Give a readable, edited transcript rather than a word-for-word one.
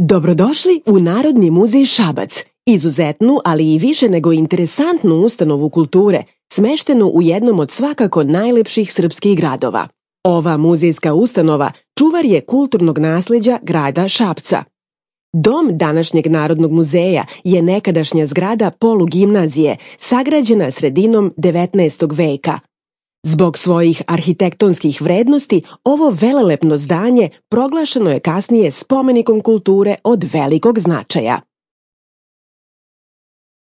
Dobrodošli u Narodni muzej Šabac, izuzetnu, ali i više nego interesantnu ustanovu kulture, smeštenu u jednom od svakako najlepših srpskih gradova. Ova muzejska ustanova čuvar je kulturnog nasleđa grada Šapca. Dom današnjeg Narodnog muzeja je nekadašnja zgrada polugimnazije, sagrađena sredinom 19. veka. Zbog svojih arhitektonskih vrednosti, ovo velelepno zdanje proglašeno je kasnije spomenikom kulture od velikog značaja.